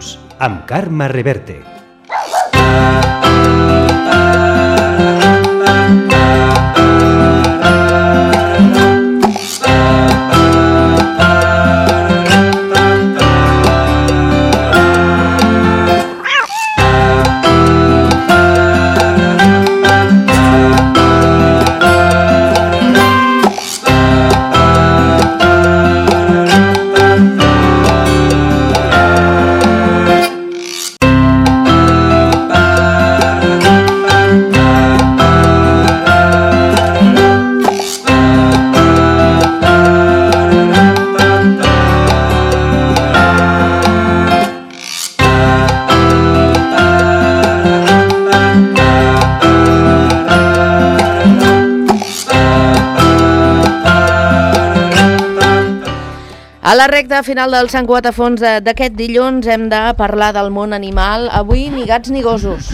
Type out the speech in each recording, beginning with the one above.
Dilluns, amb Carme Reverte. A la recta final del Sant Cugat a fons d'aquest dilluns hem de parlar del món animal. Avui ni gats ni gossos.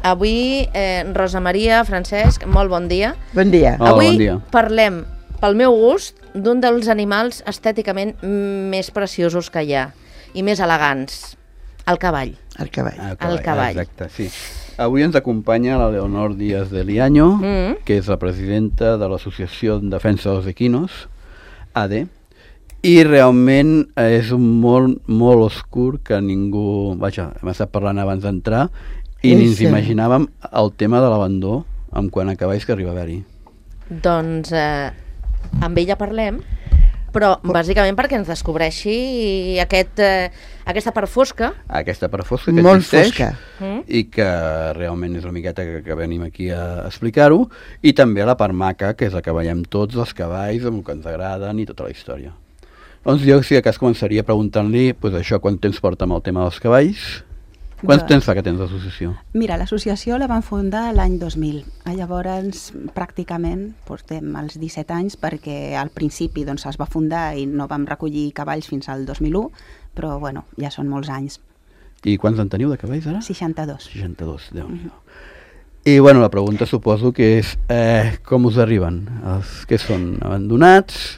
Avui, Rosa Maria, Francesc, molt bon dia. Bon dia. Avui bon dia. Parlem, pel meu gust, d'un dels animals estèticament més preciosos que hi ha i més elegants, el cavall. El cavall. El cavall. Exacte, sí. Avui ens acompanya la Leonor Díaz de Liaño, que és la presidenta de l'Associació en Defensa dels Equinos, AD, i realment és un món molt oscur que ningú... Vaja, hem estat parlant abans d'entrar i ni ens imaginàvem el tema de l'abandó en quant a cavalls que arriba a haver-hi. Doncs amb ella parlem, però bàsicament perquè ens descobreixi aquesta part fosca. Aquesta part fosca que molt existeix fosca. I que realment és una miqueta que venim aquí a explicar-ho, i també la part maca, que és la que veiem tots els cavalls, amb el que ens agraden i tota la història. Doncs jo, si de cas, començaria preguntant-li això, quant temps porta amb el tema dels cavalls? Quants temps fa que tens l'associació? Mira, l'associació la van fundar l'any 2000. Llavors, pràcticament, portem els 17 anys, perquè al principi doncs, es va fundar i no vam recollir cavalls fins al 2001, però bueno, ja són molts anys. I quants en teniu de cavalls ara? 62. 62, Déu-n'hi-do. I bueno, la pregunta suposo que és com us arriben? Els que són abandonats?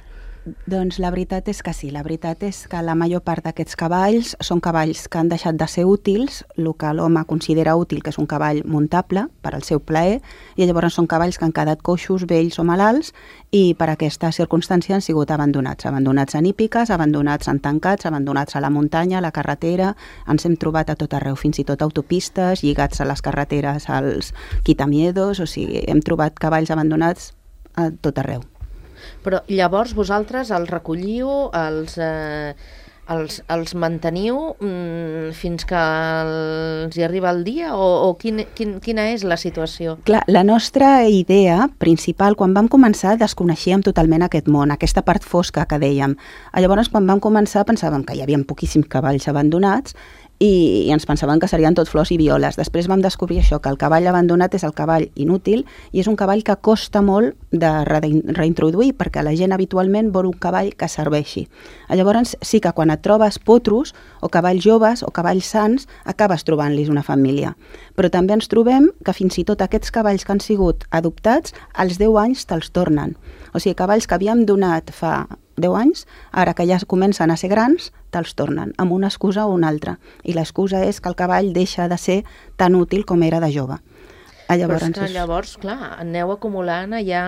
Doncs la veritat és que sí, la veritat és que la major part d'aquests cavalls són cavalls que han deixat de ser útils, el que l'home considera útil, que és un cavall muntable per al seu plaer, i llavors són cavalls que han quedat coixos, vells o malalts, i per aquesta circumstància han sigut abandonats en hípiques, abandonats en tancats, abandonats a la muntanya, a la carretera, ens hem trobat a tot arreu, fins i tot autopistes, lligats a les carreteres als quitamiedos, o sigui, hem trobat cavalls abandonats a tot arreu. Però llavors vosaltres els recolliu, els manteniu fins que els hi arriba el dia o quina és la situació? Clar, la nostra idea principal, quan vam començar, desconeixíem totalment aquest món, aquesta part fosca que dèiem. Llavors, quan vam començar, pensàvem que hi havia poquíssims cavalls abandonats i ens pensàvem que serien tot flors i violes. Després vam descobrir això, que el cavall abandonat és el cavall inútil i és un cavall que costa molt de reintroduir perquè la gent habitualment vol un cavall que serveixi. Llavors sí que quan et trobes potros o cavalls joves o cavalls sans acabes trobant-los una família. Però també ens trobem que fins i tot aquests cavalls que han sigut adoptats als 10 anys te'ls tornen. O sigui, cavalls que havíem donat fa 10 anys, ara que ja comencen a ser grans, te'ls tornen, amb una excusa o una altra. I l'excusa és que el cavall deixa de ser tan útil com era de jove. Però és que llavors, clar, aneu acumulant allà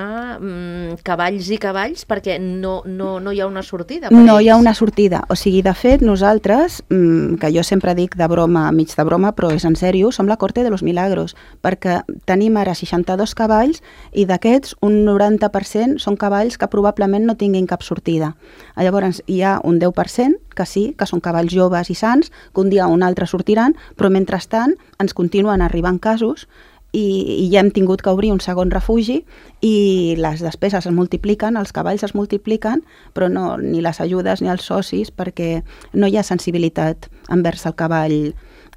cavalls i cavalls perquè no hi ha una sortida. No hi ha una sortida. O sigui, de fet, nosaltres, que jo sempre dic de broma, mig de broma, però és en sèrio, som la corte de los milagros, perquè tenim ara 62 cavalls i d'aquests un 90% són cavalls que probablement no tinguin cap sortida. Llavors hi ha un 10% que sí, que són cavalls joves i sants, que un dia o un altre sortiran, però mentrestant ens continuen arribant casos i ja hem tingut que obrir un segon refugi i les despeses es multipliquen, els cavalls es multipliquen, però no, ni les ajudes ni els socis, perquè no hi ha sensibilitat envers el cavall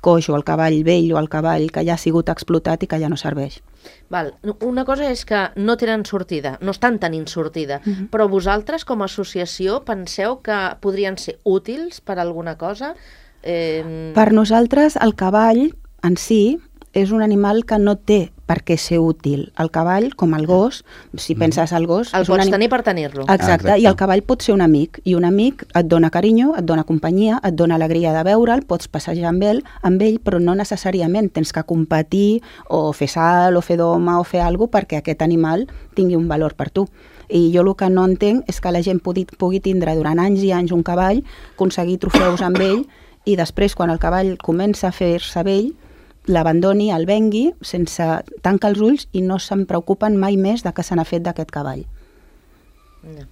coix o el cavall vell o el cavall que ja ha sigut explotat i que ja no serveix. Val. Una cosa és que no tenen sortida, no estan tenint sortida, però vosaltres com a associació penseu que podrien ser útils per alguna cosa? Per nosaltres el cavall en si és un animal que no té perquè ser útil. El cavall, com el gos, si penses al gos... El pots tenir per tenir-lo. Exacte, i el cavall pot ser un amic, i un amic et dona carinyo, et dona companyia, et dona alegria de veure'l, pots passejar amb ell, però no necessàriament tens que competir o fer salt o fer doma o fer alguna cosa perquè aquest animal tingui un valor per tu. I jo el que no entenc és que la gent pugui tindre durant anys i anys un cavall, aconseguir trofeus amb ell, i després, quan el cavall comença a fer-se vell, l'abandoni, el vengui, sense tancar els ulls i no se'n preocupen mai més de què se n'ha fet d'aquest cavall. No.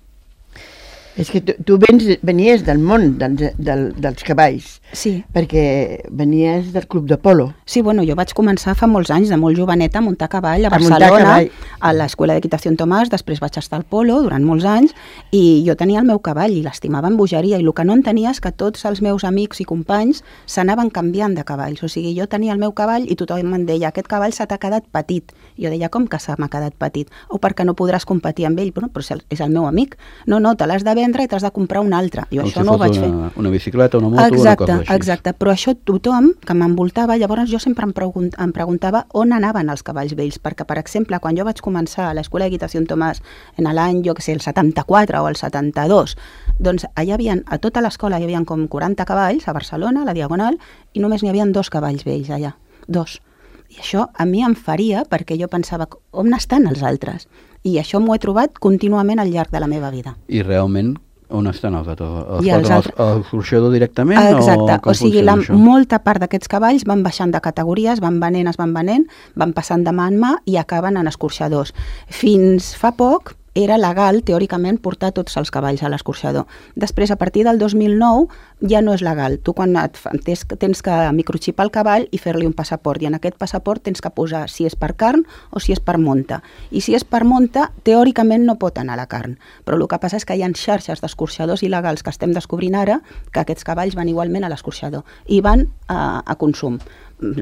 És que tu venies del món dels cavalls, Sí. perquè venies del club de polo. Sí, bueno, jo vaig començar fa molts anys, de molt joveneta, a muntar cavall a A muntar Barcelona, cavall. a l'Escola d'Equitació en Tomàs, després vaig estar al polo durant molts anys, i jo tenia el meu cavall i l'estimava amb bogeria, i el que no entenia és que tots els meus amics i companys s'anaven canviant de cavalls. O sigui, jo tenia el meu cavall i tothom em deia, aquest cavall se t'ha quedat petit. Jo deia, com que se m'ha quedat petit? O perquè no podràs competir amb ell? Bueno, però és el meu amic. No, te l'has de vendre i t'has de comprar un altre. Jo això no ho vaig fer. Una bicicleta, una moto, una cosa així. Exacte, però això tothom que m'envoltava, llavors jo sempre em preguntava on anaven els cavalls vells, perquè, per exemple, quan jo vaig començar a l'Escola d'Equitació en Tomàs en l'any, jo que sé, el 74 o el 72, doncs allà a tota l'escola hi havia com 40 cavalls a Barcelona, a la Diagonal, i només n'hi havia 2 cavalls vells allà, 2. I això a mi em faria, perquè jo pensava, on estan els altres? I això m'ho he trobat contínuament al llarg de la meva vida. I realment, on estan els altres? I els altres? A l'escorxador directament? Exacte, o sigui, funciona això? molta part d'aquests cavalls van baixant de categories, van venent, van passant de mà en mà i acaben en escorxadors. Fins fa poc era legal, teòricament, portar tots els cavalls a l'escorxador. Després, a partir del 2009, ja no és legal. Tu quan tens que microxipar el cavall i fer-li un passaport, i en aquest passaport tens que posar si és per carn o si és per monta. I si és per monta, teòricament no pot anar a la carn. Però el que passa és que hi ha xarxes d'escorxadors il·legals que estem descobrint ara que aquests cavalls van igualment a l'escorxador i van a consum.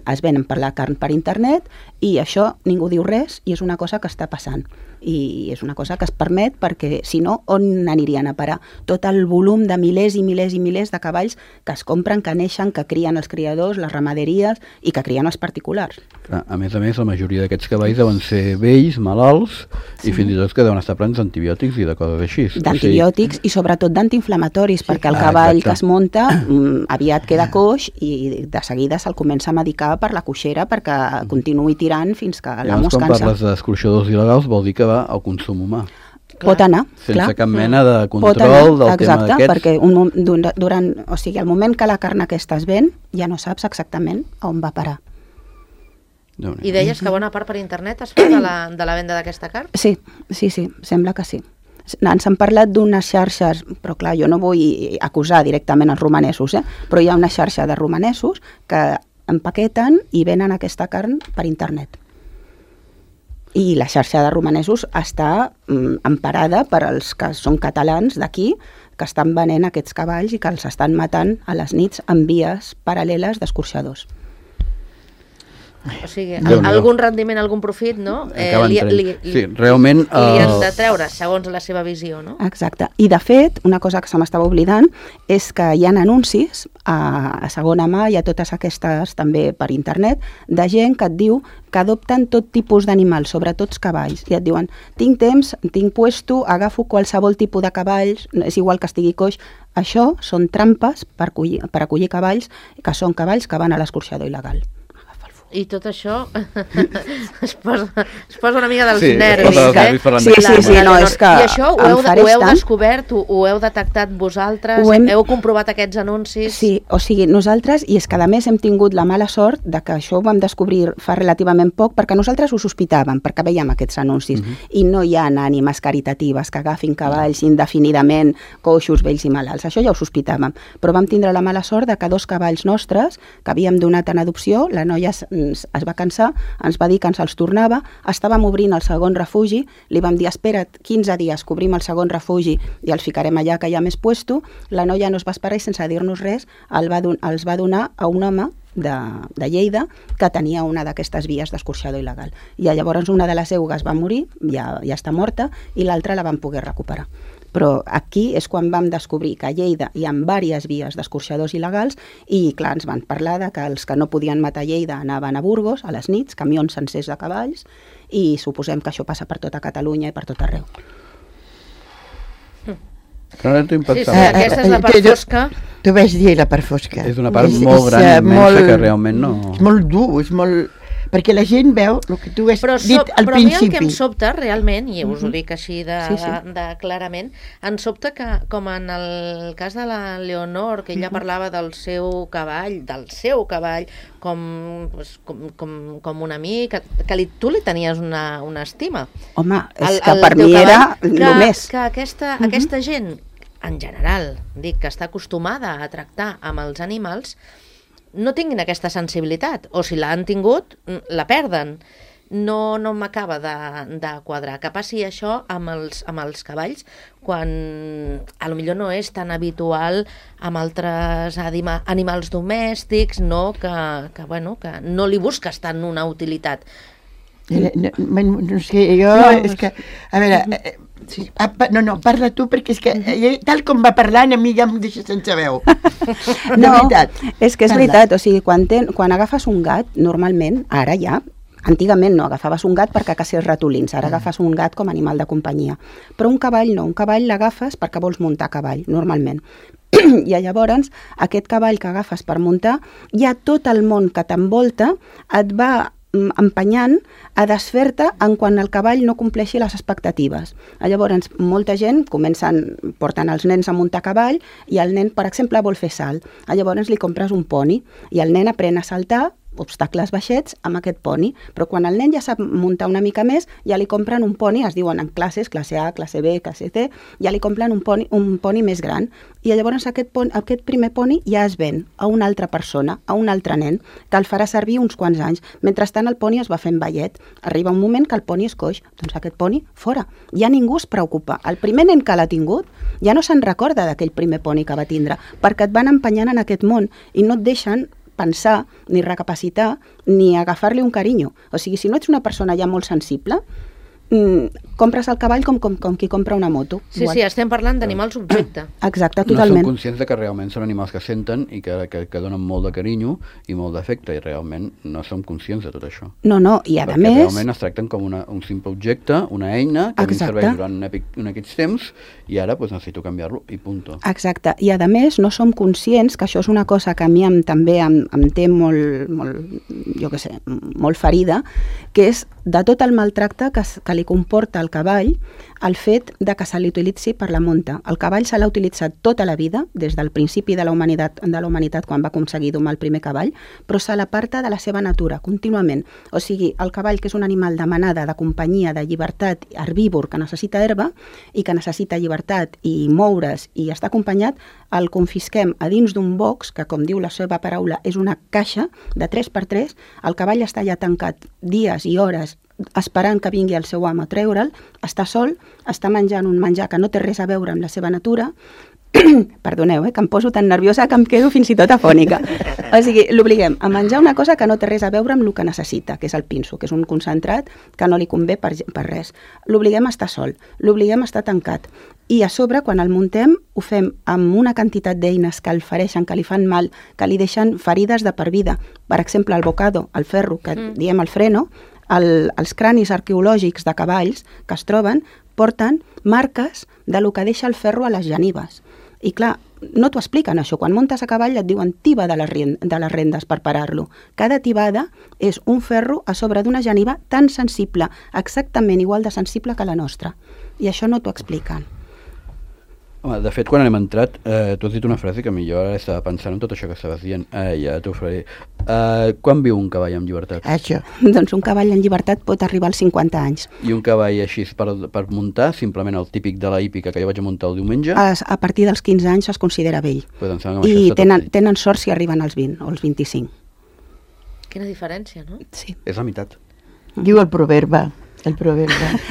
Es venen per la carn per internet i això ningú diu res i és una cosa que està passant. I és una cosa que es permet perquè, si no, on anirien a parar? Tot el volum de milers i milers i milers de cavalls que es compren, que neixen, que crien els criadors, les ramaderies i que crien els particulars. A més, la majoria d'aquests cavalls deuen ser vells, malalts, i fins i tot que deuen estar plens d'antibiòtics i de coses així. D'antibiòtics i sobretot d'antiinflamatoris, perquè el cavall que es munta aviat queda coix i de seguida se'l comença a medicar per la coixera perquè continuï tirant fins que l'amo es cansa. Quan parles d'escorxadors il·legals vol dir que va al consum humà. Pot anar, sense cap mena de control del tema d'aquests. Perquè el moment que la carn aquesta es ven, ja no saps exactament on va parar. I deies que bona part per internet es fa de la venda d'aquesta carn? Sí, sembla que sí. Ens han parlat d'unes xarxes, però clar, jo no vull acusar directament els romanesos, però hi ha una xarxa de romanesos que empaqueten i venen aquesta carn per internet. I la xarxa de romanesos està emparada per als que són catalans d'aquí, que estan venent aquests cavalls i que els estan matant a les nits en vies paral·leles d'escorxadors. O sigui, algun rendiment, algun profit, no? Sí, realment... Li han de treure, segons la seva visió, no? Exacte. I, de fet, una cosa que se m'estava oblidant és que hi ha anuncis a segona mà i a totes aquestes, també per internet, de gent que et diu que adopten tot tipus d'animals, sobretot cavalls. I et diuen, tinc temps, tinc puesto, agafo qualsevol tipus de cavalls, és igual que estigui coix. Això són trampes per acollir cavalls, que són cavalls que van a l'escorxador il·legal. I tot això es posa una mica dels nervis, Sí, no, és que I això ho heu descobert, ho heu detectat vosaltres, heu comprovat aquests anuncis? Sí, o sigui, nosaltres, i és que a més hem tingut la mala sort de que això ho vam descobrir fa relativament poc, perquè nosaltres ho sospitàvem, perquè veiem aquests anuncis, i no hi ha ànimes caritatives que agafin cavalls indefinidament, coixos, vells i malalts, això ja ho sospitàvem, però vam tindre la mala sort de que 2 cavalls nostres, que havíem donat en adopció, la noia es va cansar, ens va dir que ens els tornava, estàvem obrint el segon refugi, li vam dir, espera't 15 dies que obrim el segon refugi i els ficarem allà que hi ha més puesto, la noia no es va esperar i sense dir-nos res els va donar a un home de Lleida que tenia una d'aquestes vies d'escorxador il·legal. I llavors una de les eugues va morir, ja està morta, i l'altra la van poder recuperar. Però aquí és quan vam descobrir que a Lleida hi ha diverses vies d'escorxadors il·legals i, clar, ens van parlar de que els que no podien matar a Lleida anaven a Burgos a les nits, camions sencers de cavalls, i suposem que això passa per tota Catalunya i per tot arreu. Però ara t'ho Sí, aquesta és la part fosca. Tu vas dir la part fosca. És una part molt gran i immensa que realment no... És molt dur, és molt... Perquè la gent veu el que tu has dit al però a mi el principi. que em sobta realment, i us ho dic així de clarament, em sobta que, com en el cas de la Leonor, que ella parlava del seu cavall, com un amic, que tu li tenies una estima. Home, és que per mi era el més. Que aquesta gent, en general, dic que està acostumada a tractar amb els animals, no tinguin aquesta sensibilitat, o si l'han tingut, la perden. No m'acaba de quadrar. Que passi això amb els cavalls, quan a lo millor no és tan habitual amb altres animals domèstics, no? Que no li busques tant una utilitat. No sé, jo... És que, a veure... No, parla tu, perquè és que tal com va parlant a mi ja em deixa sense veu. De veritat. És que és veritat, o sigui, quan agafes un gat, normalment, ara ja, antigament no, agafaves un gat perquè caçés ratolins, ara agafes un gat com a animal de companyia. Però un cavall no, un cavall l'agafes perquè vols muntar cavall, normalment. I llavors, aquest cavall que agafes per muntar, ja tot el món que t'envolta et va empenyant a desfer-te en quan el cavall no compleixi les expectatives. Llavors, molta gent porten els nens a muntar cavall i el nen, per exemple, vol fer salt. Llavors li compres un poni i el nen aprèn a saltar obstacles baixets amb aquest poni, però quan el nen ja sap muntar una mica més, ja li compren un poni, es diuen en classes, classe A, classe B, classe C, ja li compren un poni més gran, i llavors aquest primer poni ja es ven a una altra persona, a un altre nen, que el farà servir uns quants anys. Mentrestant el poni es va fent vellet. Arriba un moment que el poni és coix, doncs aquest poni fora. Ja ningú es preocupa. El primer nen que l'ha tingut ja no se'n recorda d'aquell primer poni que va tindre, perquè et van empenyant en aquest món i no et deixen pensar, ni recapacitar, ni agafar-li un carinyo. O sigui, si no ets una persona ja molt sensible, compres el cavall com qui compra una moto. Sí, igual. Sí, estem parlant d'animals objecte. Exacte, totalment. No som conscients de que realment són animals que senten i que donen molt de carinyo i molt d'afecte, i realment no som conscients de tot això. No, i a perquè més... realment es tracten com un simple objecte, una eina, que a mi serveix durant un aquests temps, i ara necessito canviar-lo, i punto. Exacte, i a més no som conscients, que això és una cosa que a mi també em té molt, jo què sé, molt ferida, que és de tot el maltracte que li comporta al cavall el fet de que se l'utilitzi per la munta. El cavall se l'ha utilitzat tota la vida, des del principi de la humanitat quan va aconseguir domar el primer cavall, però se l'aparta de la seva natura, contínuament. O sigui, el cavall, que és un animal de manada, de companyia, de llibertat, herbívor, que necessita herba i que necessita llibertat i moure's i estar acompanyat, el confisquem a dins d'un box, que com diu la seva paraula és una caixa de 3x3, el cavall està allà tancat dies i hores esperant que vingui el seu amo a treure'l, està sol, està menjant un menjar que no té res a veure amb la seva natura. Perdoneu, que em poso tan nerviosa que em quedo fins i tot afònica. O sigui, l'obliguem a menjar una cosa que no té res a veure amb el que necessita, que és el pinso, que és un concentrat que no li convé per res. L'obliguem a estar sol, l'obliguem a estar tancat. I a sobre, quan el muntem, ho fem amb una quantitat d'eines que el fereixen, que li fan mal, que li deixen ferides de per vida. Per exemple, el bocado, el ferro, que diem el freno, els cranis arqueològics de cavalls que es troben porten marques de lo que deixa el ferro a les genives. I clar, no t'ho expliquen això. Quan muntes a cavall et diuen tiba de les rendes per parar-lo. Cada tibada és un ferro a sobre d'una geniva tan sensible, exactament igual de sensible que la nostra. I això no t'ho expliquen. Home, de fet, quan hem entrat, tu has dit una frase que jo ara estava pensant en tot això que estaves dient. Ja t'ho faré. Quan viu un cavall en llibertat? Això. Doncs un cavall en llibertat pot arribar als 50 anys. I un cavall així per muntar, simplement el típic de la hípica que jo vaig muntar el diumenge? A partir dels 15 anys es considera vell. Pues I tenen sort si arriben als 20 o als 25. Quina diferència, no? Sí. És la meitat. Diu el proverbe.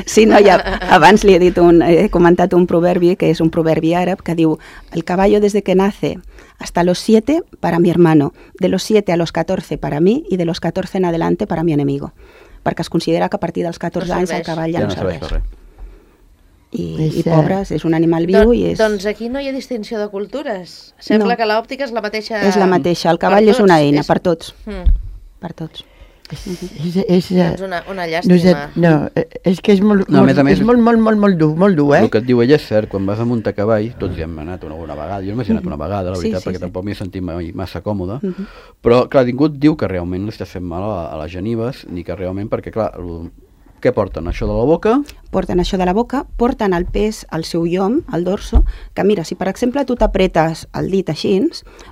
Sí, no, ja abans li he comentat un proverbi, que és un proverbi àrab, que diu: el caballo desde que nace hasta los 7 para mi hermano, de los 7 a los 14 para mí y de los 14 en adelante para mi enemigo. Perquè es considera que a partir dels 14 anys el cavall ja no serveix. i pobres, és un animal viu i és... Doncs aquí no hi ha distinció de cultures. Sembla que l'òptica és la mateixa... És la mateixa, el cavall és una eina per tots. Per tots. És una llàstima. No, és que és molt dur, El que et diu ella és cert, quan vas a muntar cavall, tots hi hem anat alguna vegada, jo només he anat una vegada, la veritat, perquè tampoc m'hi he sentit massa còmode, però clar, ningú et diu que realment li estàs fent mal a les genives, ni que realment, perquè clar, què porten? Això de la boca? Porten això de la boca, porten el pes al seu llom, al dorso, que mira, si per exemple tu t'apretes el dit així,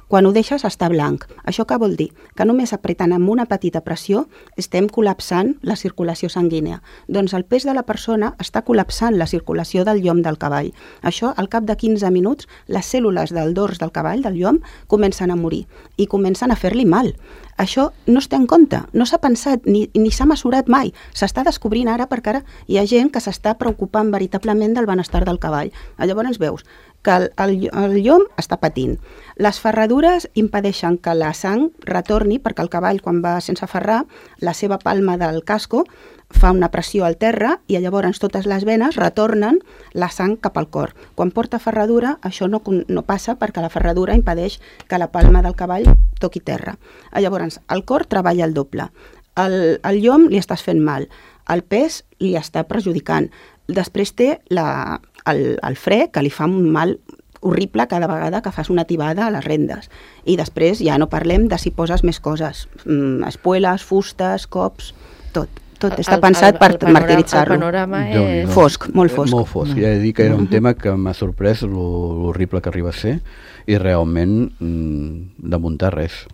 quan ho deixes està blanc. Això què vol dir? Que només apretant amb una petita pressió estem col·lapsant la circulació sanguínia. Doncs el pes de la persona està col·lapsant la circulació del llom del cavall. Això, al cap de 15 minuts, les cèl·lules del dors del cavall, del llom, comencen a morir i comencen a fer-li mal. Això no es té en compte, no s'ha pensat ni s'ha mesurat mai. S'està descobrint ara perquè ara hi ha gent que s'està preocupant veritablement del benestar del cavall. Llavors veus que el llom està patint. Les ferradures impedeixen que la sang retorni perquè el cavall, quan va sense ferrar, la seva palma del casco fa una pressió al terra i llavors totes les venes retornen la sang cap al cor. Quan porta ferradura, això no passa perquè la ferradura impedeix que la palma del cavall toqui terra. Llavors, el cor treballa el doble. El llom li estàs fent mal, el pes li està perjudicant. Després té el fre, que li fa un mal horrible cada vegada que fas una tibada a les rendes. I després ja no parlem de si poses més coses, espueles, fustes, cops, tot està pensat per martiritzar-lo. El panorama és... Fosc, molt fosc. Molt fosc. Ja he de dir que era un tema que m'ha sorprès l'horrible que arriba a ser i realment de muntar res.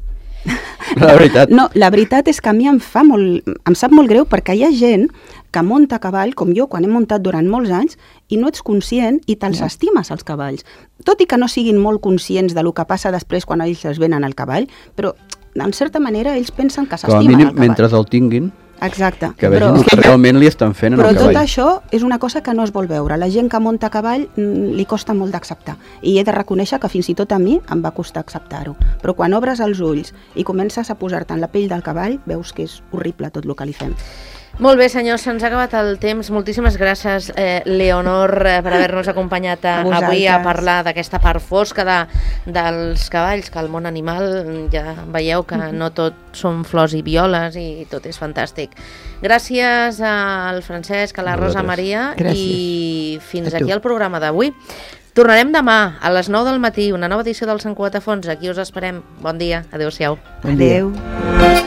La veritat. No, la veritat és que a mi em sap molt greu perquè hi ha gent que munta a cavall, com jo, quan he muntat durant molts anys, i no ets conscient i te'ls estimes, els cavalls. Tot i que no siguin molt conscients del que passa després quan ells es venen al cavall, però, en certa manera, ells pensen que s'estimen al cavall. Mentre el tinguin, exacte. Que vegin que realment li estan fent en el cavall. Però tot això és una cosa que no es vol veure. La gent que munta a cavall li costa molt d'acceptar. I he de reconèixer que fins i tot a mi em va costar acceptar-ho. Però quan obres els ulls i comences a posar-te en la pell del cavall, veus que és horrible tot el que li fem. Molt bé, senyors, se'ns ha acabat el temps. Moltíssimes gràcies, Leonor, per haver-nos acompanyat avui a parlar d'aquesta part fosca dels cavalls, que el món animal ja veieu que no tot són flors i violes i tot és fantàstic. Gràcies al Francesc, a la Rosa Maria i fins aquí el programa d'avui. Tornarem demà a les 9 del matí, una nova edició del Sant Cugatafons. Aquí us esperem. Bon dia. Adéu-siau. Bon dia. Adéu.